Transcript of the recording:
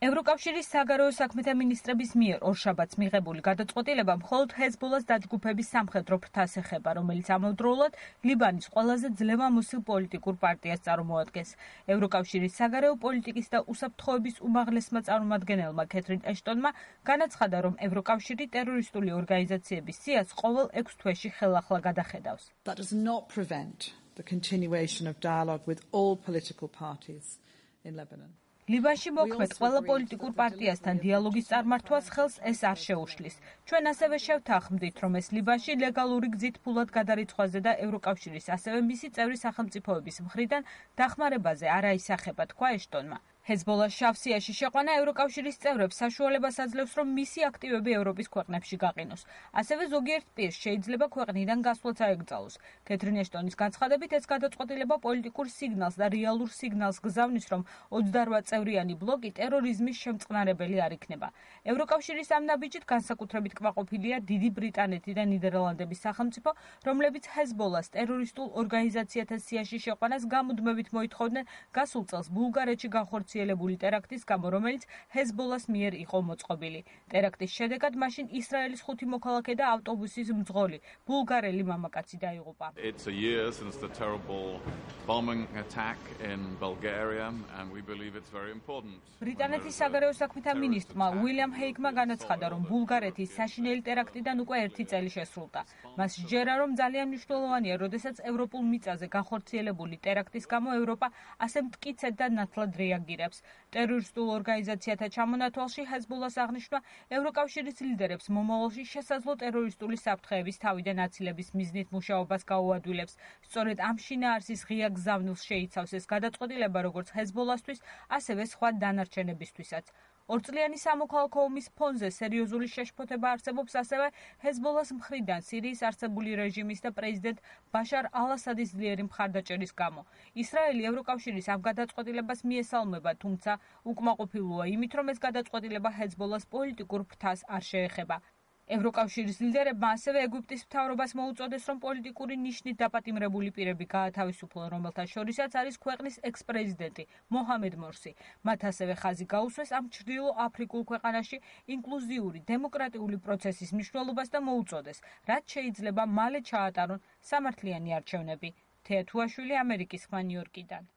ევროკავშირის საგარეო საქმეთა მინისტრების მიერ ორშაბათს მიღებული გადაწყვეტილება მხოლოდ ჰეზბოლას დაჯგუფების სამხედრო ფრთას ეხება, რომელიც ამავდროულად ლიბანის ყველაზე ძლევამოსილ პოლიტიკურ პარტიას წარმოადგენს. ევროკავშირის საგარეო პოლიტიკის და უსაფრთხოების უმაღლესმა წარმომადგენელმა კეთრინ ეშტონმა განაცხადა, რომ ევროკავშირი ტერორისტული ორგანიზაციების სიას ყოველ 6 თვეში ხელახლა გადახედავს. That does not prevent the continuation of dialogue with all political parties in Lebanon. ლიბანში მოქმედ ყველა პოლიტიკურ პარტიასთან დიალოგის წარმართვას ხელს ეს არ შეუშლის. ჩვენ ასევე შევთანხმდით, რომ ეს ლიბანში ლეგალური გზით ფულად გადარიცხვაზე და ევროკავშირის ასევე მისი წევრი სახელმწიფოების მხრიდან დახმარებაზე არ აისახება, თქვა ეშტონმა. ჰეზბოლას შავსიაში შეყვანა ევროკავშირის წევრებს საშუალებას აძლევს, რომ მისი აქტივები ევროპის ქვეყნებში გაყინოს. ასევე ზოგიერთ პირს შეიძლება ქვეყნიდან გასვლაც აეკრძალოს. კეთრინ ეშტონის განცხადებით, ეს გადაწყვეტილება პოლიტიკურ სიგნალს და რეალურ სიგნალს გზავნის, რომ 28 წევრიანი ბლოკი ტერორიზმის შემწყნარებელი არ იქნება. ევროკავშირის ამ ნაბიჯით განსაკუთრებით კმაყოფილია დიდი ბრიტანეთი და ნიდერლანდების სახელმწიფო, რომლებიც ჰეზბოლას ტერორისტულ ორგანიზაციათა სიაში შეყვანას გამუდმებით მოითხოვდნენ გასულ წელს ბულგარეთში განხორციელებული ტერაქტის გამო, რომელიც ჰეზბოლას მიერ იყო მოწყობილი. ტერაქტის შედეგად მაშინ ისრაელის 5 მოქალაქე და ავტობუსის მძღოლი ბულგარელი მამაკაცი დაიღუპა. It's a year since the terrible bombing attack in Bulgaria and we believe it's very important. ბრიტანეთის საგარეო საქმეთა მინისტრმა უილიამ ჰეიკმა განაცხადა, რომ ბულგარეთის საშინელი ტერაქტიდან უკვე 1 წელი შესრულდა. მას სჯერა, რომ ძალიან მნიშვნელოვანია, როდესაც ევროპულ მიწაზე განხორციელებული ტერაქტის გამო ევროპა ასე მტკიცედ და ნათლად რეაგირებს. ტერორისტულ ორგანიზაციათა ჩამონათვალში ჰეზბოლას აღნიშვნა ევროკავშირის ლიდერებს მომავალში შესაძლო ტერორისტული საფრთხეების თავიდან აცილების მიზნით მუშაობას გაუადვილებს. სწორედ ამ შინაარსის ღია გზავნილს შეიცავს ეს გადაწყვეტილება როგორც ჰეზბოლასთვის, ასევე სხვა დანარჩენებისთვისაც. ორწლიანი სამოქალაქო ომის ფონზე სერიოზული შეშფოთება არსებობს ასევე ჰეზბოლას მხრიდან სირიის არსებული რეჟიმის და პრეზიდენტ ბაშარ ალ-ასადის ძლიერი მხარდაჭერის გამო. ისრაელი ევროკავშირის ამ გადაწყვეტილებას მიესალმება, თუმცა უკმაყოფილოა იმით, რომ ეს გადაწყვეტილება ჰეზბოლას პოლიტიკურ ფრთას არ შეეხება. ევროკავშირის ლიდერებმა ასევე ეგვიპტის მთავრობას მოუწოდეს, რომ პოლიტიკური ნიშნით დაპატიმრებული პირები გაათავისუფლონ, რომელთა შორისაც არის ქვეყნის ექს-პრეზიდენტი მოჰამედ მორსი. მათ ასევე ხაზი გაუსვეს ამ ჩრდილო აფრიკულ ქვეყანაში ინკლუზიური დემოკრატიული პროცესის მნიშვნელობას და მოუწოდეს, რაც შეიძლება მალე ჩაატარონ სამართლიანი არჩევნები. თეა თუაშვილი, ამერიკის ხმა, ნიუ-იორკიდან.